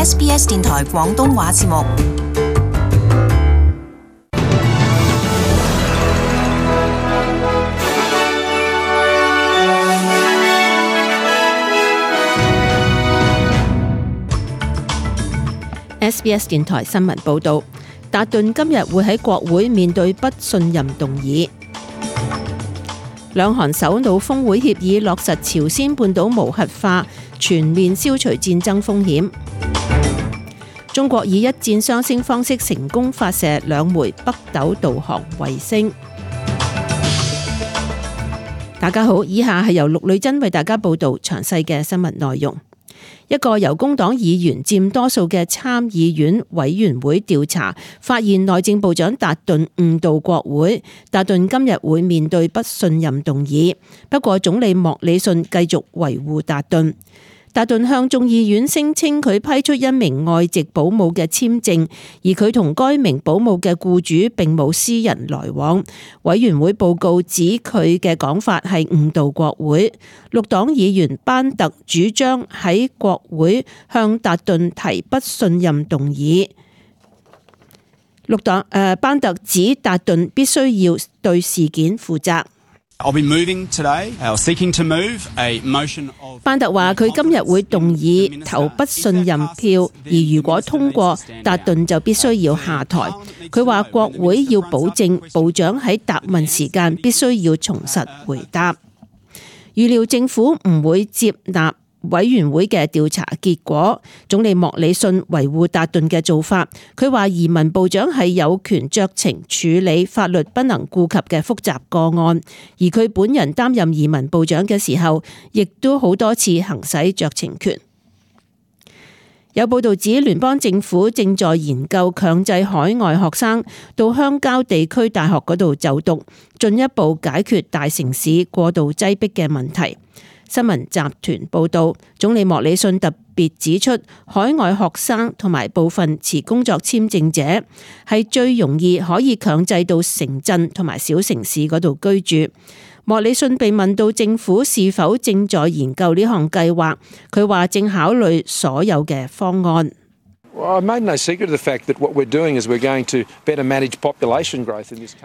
SBS 電台廣東話節目。SBS 電台新聞報導，達頓今日會喺國會面對不信任動議。兩韓首腦峰會協議落實朝鮮半島無核化，全面消除戰爭風險。中國以一箭雙星方式成功發射2枚北斗導航衛星。大家好，以下係由陸女真為大家報導詳細嘅新聞內容。一個由工黨議員佔多數嘅參議院委員會調查，發現內政部長達頓誤導國會。達頓今日會面對不信任動議，不過總理莫里遜繼續維護達頓。達頓向眾議院聲稱佢批出一名外籍保姆嘅簽證，而佢同該名保姆嘅僱主並冇私人來往。委員會報告指佢嘅講法係誤導國會。綠黨議員班特主張喺國會向達頓提不信任動議。班特指達頓必須要對事件負責。班特話佢今日會動議投不信任票，而如果通過，達頓就必須要下台。佢話國會要保證部長喺答問時間必須要從實回答。預料政府唔會接納委員會嘅調查結果。總理莫里遜維護達頓嘅做法，佢話移民部長係有權酌情處理法律不能顧及嘅複雜個案，而佢本人擔任移民部長嘅時候，亦都好多次行使酌情權。有報道指聯邦政府正在研究強制海外學生到鄉郊地區大學嗰度就讀，進一步解決大城市過度擠迫嘅問題。新聞集團報導，總理莫里遜特別指出，海外學生同埋部分持工作簽證者係最容易可以強制到城鎮同埋小城市嗰度居住。莫里遜被問到政府是否正在研究呢項計劃，佢話正考慮所有嘅方案。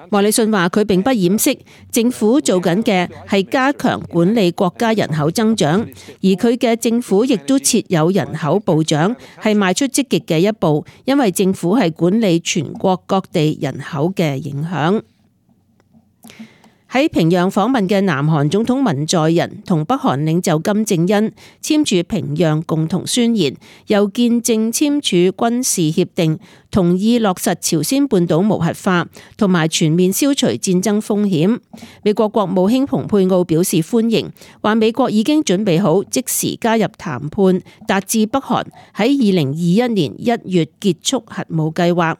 莫里遜話佢並不掩飾政府做緊嘅係加強管理國家人口增長，而佢嘅政府亦都設有人口部長，係邁出積極嘅一步，因為政府係管理全國各地人口嘅影響。喺平壤訪問嘅南韓總統文在寅同北韓領袖金正恩簽署平壤共同宣言，又見證簽署軍事協定，同意落實朝鮮半島無核化同埋全面消除戰爭風險。美國國務卿蓬佩奧表示歡迎，話美國已經準備好即時加入談判，達至北韓喺2021年1月結束核武計劃。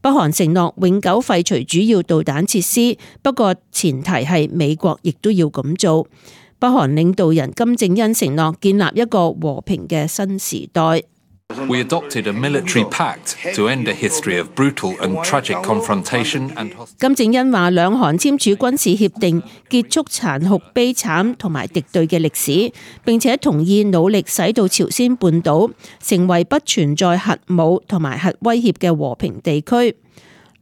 北韓承諾永久廢除主要導彈設施，不過前提係美國亦都要咁做。北韓領導人金正恩承諾建立一個和平嘅新時代。We adopted a military pact to end a history of brutal and tragic confrontation and hostility. 金正恩話兩韓簽署軍事協定，結束殘酷悲慘同埋敵對嘅歷史，並且同意努力使到朝鮮半島成為不存在核武同埋核威脅嘅和平地區。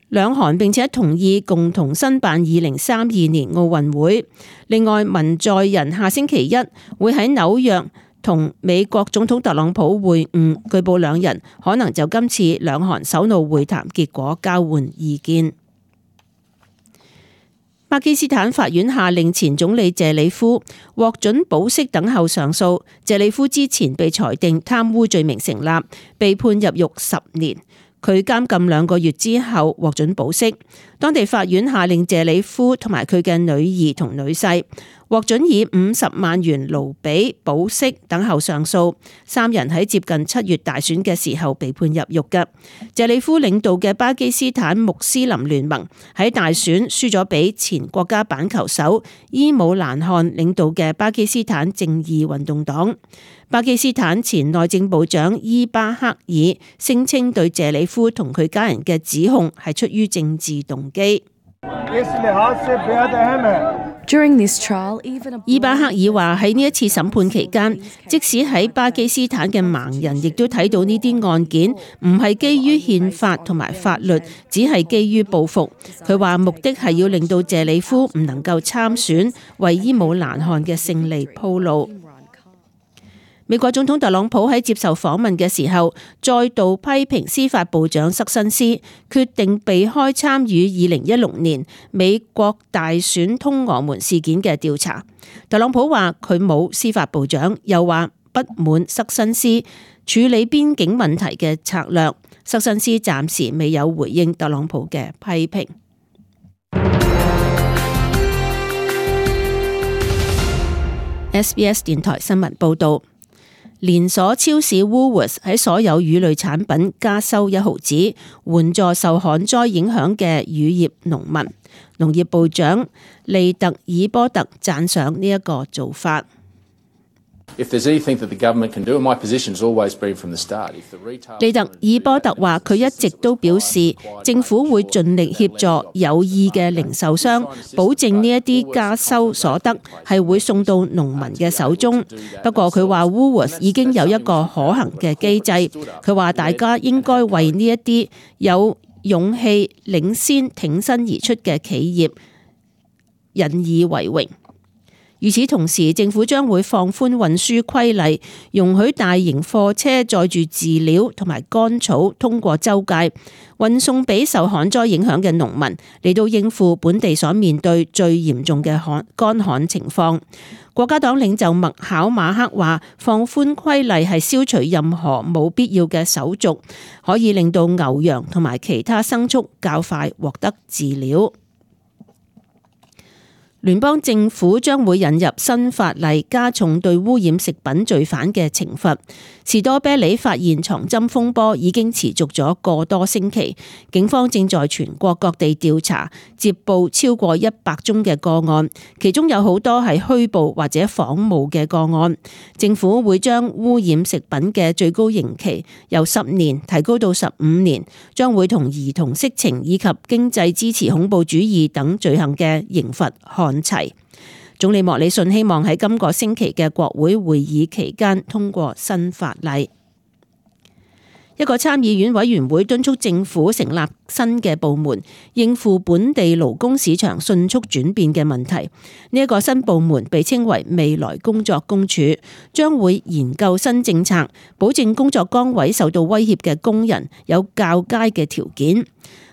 兩韓並且同意共同申辦2032年奧運會。另外，文在寅下星期一會喺紐約同美國總統特朗普會晤，據報兩人可能就今次兩韓首腦會談結果交換意見。巴基斯坦法院下令前總理謝里夫獲准保釋等候上訴。謝里夫之前被裁定貪污罪名成立，被判入獄10年。佢監禁2個月之後獲准保釋。當地法院下令謝里夫同埋佢嘅女兒同女婿獲准以50萬元盧比保釋等候上訴。3人喺接近7月大選嘅時候被判入獄嘅。謝里夫領導嘅巴基斯坦穆斯林聯盟喺大選輸咗俾前國家板球手伊姆蘭汗領導嘅巴基斯坦正義運動黨。巴基斯坦前內政部長伊巴克爾聲稱對謝里夫同佢家人嘅指控係出於政治動機。伊巴克爾話喺呢一次審判期間，即使喺巴基斯坦嘅盲人亦都睇到呢啲案件唔係基於憲法同埋法律，只係基於報復。佢話目的係要令到謝里夫唔能夠參選，為伊姆蘭汗嘅勝利鋪路。美國總統特朗普喺接受訪問嘅時候，再度批評司法部長塞申斯決定避開參與2016年美國大選通俄門事件嘅調查。特朗普話佢冇司法部長，又話不滿塞申斯處理邊境問題嘅策略。塞申斯暫時未有回應特朗普嘅批評。SBS 電台新聞報道。連鎖超市 Woolworths 喺所有乳類產品加收1毫子，援助受旱災影響嘅乳業農民。農業部長利特爾波特讚賞呢一個做法。利特爾波特話：佢一直都表示政府會盡力協助有意嘅零售商，保證呢一啲加收所得係會送到農民嘅手中。不過佢話 Woolworths 已經有一個可行嘅機制。佢話大家應該為呢一啲有勇氣領先挺身而出嘅企業引以為榮。與此同時，政府將會放寬運輸規例，容許大型貨車載住飼料同埋乾草通過州界，運送俾受旱災影響嘅農民，嚟到應付本地所面對最嚴重嘅乾旱情況。國家黨領袖麥考馬克話，放寬規例係消除任何冇必要嘅手續，可以令到牛羊同埋其他牲畜較快獲得飼料。聯邦政府將會引入新法例，加重對污染食品罪犯嘅懲罰。士多啤梨發現藏針風波已經持續咗個多星期，警方正在全國各地調查，接報超過100宗嘅個案，其中有好多係虛報或者仿冒嘅個案。政府會將污染食品嘅最高刑期由10年提高到15年，將會同兒童色情以及經濟支持恐怖主義等罪行嘅刑罰看齊。總理莫里遜希望喺今個星期嘅國會會議期間通過新法例。一個參議院委員會敦促政府成立新嘅部門，應付本地勞工市場迅速轉變嘅問題。呢一個新部門被稱為未來工作公署，將會研究新政策，保證工作崗位受到威脅嘅工人有較佳嘅條件。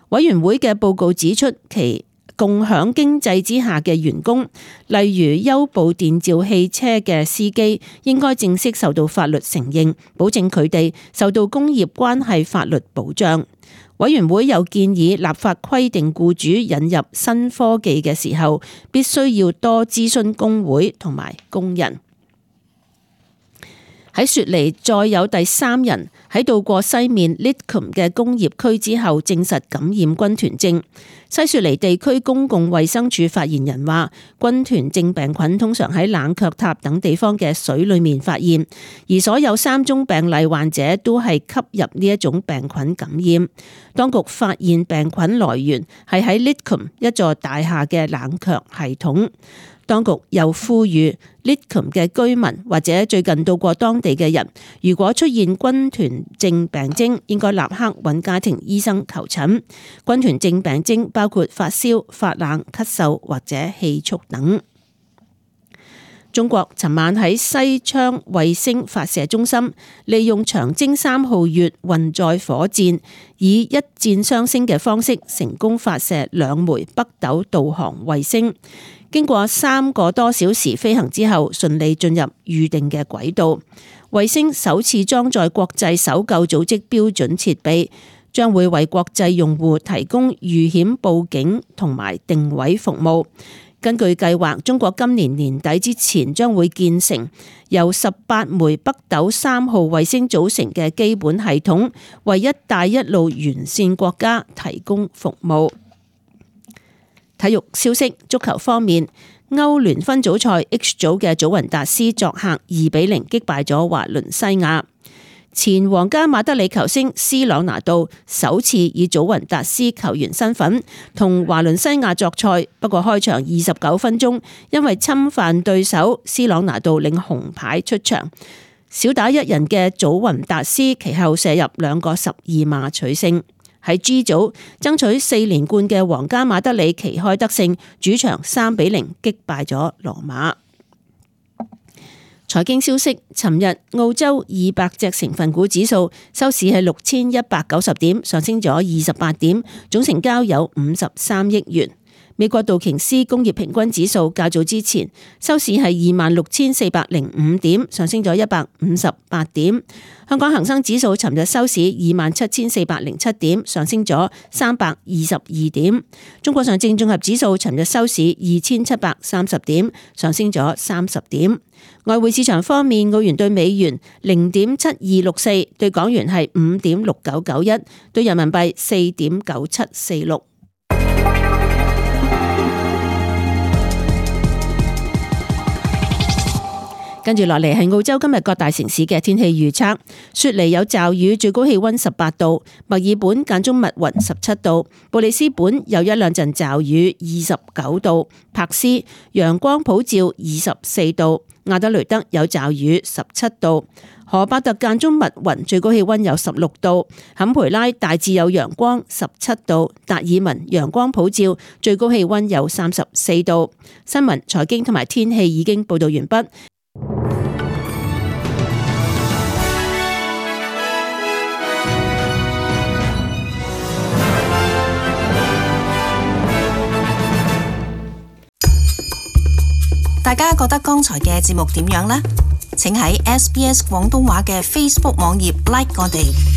委員會嘅報告指出，其共享經濟之下嘅員工，例如優步電召汽車嘅司機，應該正式受到法律承認，保證佢哋受到工業關係法律保障。委員會又建議立法規定僱主引入新科技嘅時候，必須要多諮詢工會同埋工人。喺雪梨再有第3人喺到過西面 Lidcombe 嘅工業區之後證實感染軍團症。西雪梨地區公共衛生署發言人話，軍團症病菌通常喺冷卻塔等地方嘅水裏面發現，而所有3宗病例患者都係吸入呢一種病菌感染。當局發現病菌來源係喺 Lidcombe 一座大廈嘅冷卻系統。當局又呼籲 Lidcombe 嘅居民或者最近到過當地嘅人，如果出現軍團症病徵，應該立刻揾家庭醫生求診。軍團症病徵包括發燒、發冷、咳嗽或者氣促等。中國尋晚喺西昌衛星發射中心，利用長征3號月運載火箭，以一箭雙星嘅方式成功發射2枚北斗導航衛星。經過3個多小時飛行之後，順利進入預定嘅軌道。衛星首次裝載國際搜救組織標準設備，將會為國際用戶提供遇險報警同埋定位服務。根據計劃，中國今年年底之前將會建成由18枚北斗3號衛星組成嘅基本系統，為一帶一路沿線國家提供服務。體育消息，足球方面，歐聯分組賽 H 組嘅祖雲達斯作客2-0擊敗咗華倫西亞。前皇家馬德里球星斯朗拿度首次以祖雲達斯球員身份同華倫西亞作賽，不過開場29分鐘因為侵犯對手，斯朗拿度領紅牌出場。少打一人嘅祖雲達斯其後射入2個12碼取勝。喺 G 組爭取4連冠嘅皇家馬德里旗開得勝，主場3-0擊敗咗羅馬。財經消息，尋日澳洲200隻成分股指數收市係6190點，上升咗28點，總成交有53億元。美國道瓊斯工業平均指數較早之前收市係26,405點，上升咗158點。香港恒生指數尋日收市27,407點，上升咗322點。中國上證綜合指數尋日收市2730點，上升咗30點。外匯市場方面，澳元對美元0.7264，對港元係5.6991，對人民幣4.9746。跟住落嚟係澳洲今日各大城市嘅天氣預測。雪梨有驟雨，最高氣溫18度；墨爾本間中密雲17度；布里斯本有一兩陣驟雨29度；柏斯陽光普照24度；亞德雷德有驟雨17度；荷伯特間中密雲，最高氣溫有16度；坎培拉大致有陽光17度；達爾文陽光普照，最高氣溫有34度。新聞、財經同埋天氣已經報道完畢。大家覺得剛才嘅節目點樣呢？請喺SBS 廣東話嘅 Facebook 網頁 like 我哋。